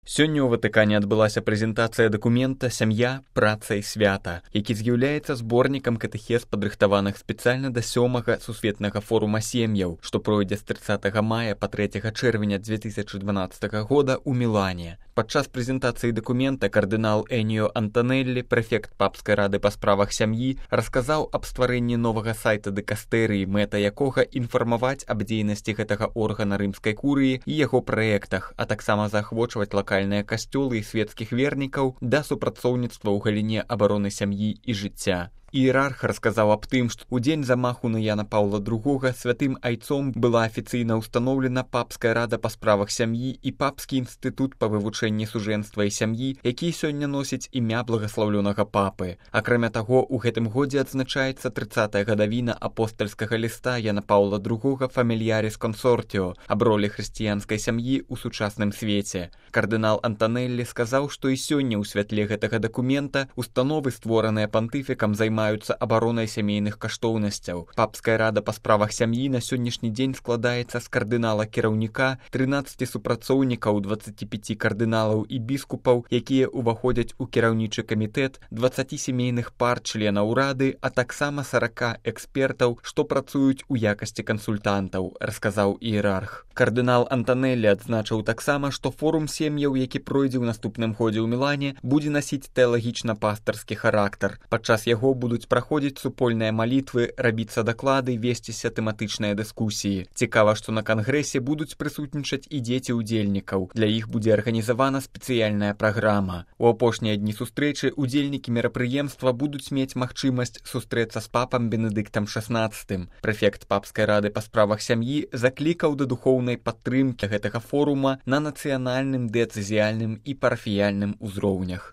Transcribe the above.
Сёння ў Ватыкане адбылася прэзентацыя дакумента «Сям'я, праца і свята», які з'яўляецца зборнікам катэхез, падрыхтаваных спецыяльна да 7-га сусветнага форума сем'яў, што пройдзе з 30 мая па 3 чэрвеня 2012 года ў Мілане. Падчас прэзентацыі дакумента кардынал Эніо Антанеллі, прэфект папскай рады па справах сям'і, расказаў аб стварэнні новага сайта дыкастэрыі, мэта якога інфармаваць аб дзейнасці гэтага органа рымскай курыі і яго праектах, а таксама заахвочваць лакальныя касцёлы і свецкіх вернікаў да супрацоўніцтва ў галіне абароны сям'і і жыцця. Іерарх расказаў аб тым, што ў дзень замаху на Яна Паўла II святым айцом была афіцыйна ўстаноўлена папская рада па справах сям'і і папскі інстытут па вывучэнні сужэнства і сям'і, які сёння носіць імя благаслаўлёнага папы. Акрамя таго, у гэтым годзе адзначаецца 30-я гадавіна апостальскага ліста Яна Паўла II «Фамільяріс Консортіо» аб ролі хрысціянскай сям'і ў сучасным свеце. Кардынал Антанеллі сказаў, што і сёння ў святле гэтага дакумента установы, створаныя пантыфікам, займаюцца абаронай сямейных каштоўнасцяў. Папская рада па справах сям'і на сённяшні дзень складаецца з кардынала-кіраўніка, 13 супрацоўнікаў, 25 кардыналаў і біскупаў, якія ўваходзяць у кіраўнічы камітэт, 20 сямейных пар членаў рады, а таксама 40 экспертаў, што працуюць у якасці кансультантаў, расказаў іерарх. Кардынал Антанеллі адзначыў таксама, што форум сем'яў, які пройдзе ў наступным годзе ў Мілане, будзе насіць тэалагічна-пастарскі характар. Падчас яго будуць праходзіць супольныя малітвы, рабіцца даклады, весціся тэматычныя дыскусіі. Цікава, што на кангрэсе будуць прысутнічаць і дзеці ўдзельнікаў. Для іх будзе арганізавана спецыяльная праграма. У апошнія дні сустрэчы удзельнікі мерапрыемства будуць мець магчымасць сустрэцца з папам Бенедыктам XVI. Прэфект папскай рады па справах сям'і заклікаў да духоўнай падтрымкі гэтага форума на нацыянальным, дыяцэзіяльным і парафіяльным узроўнях.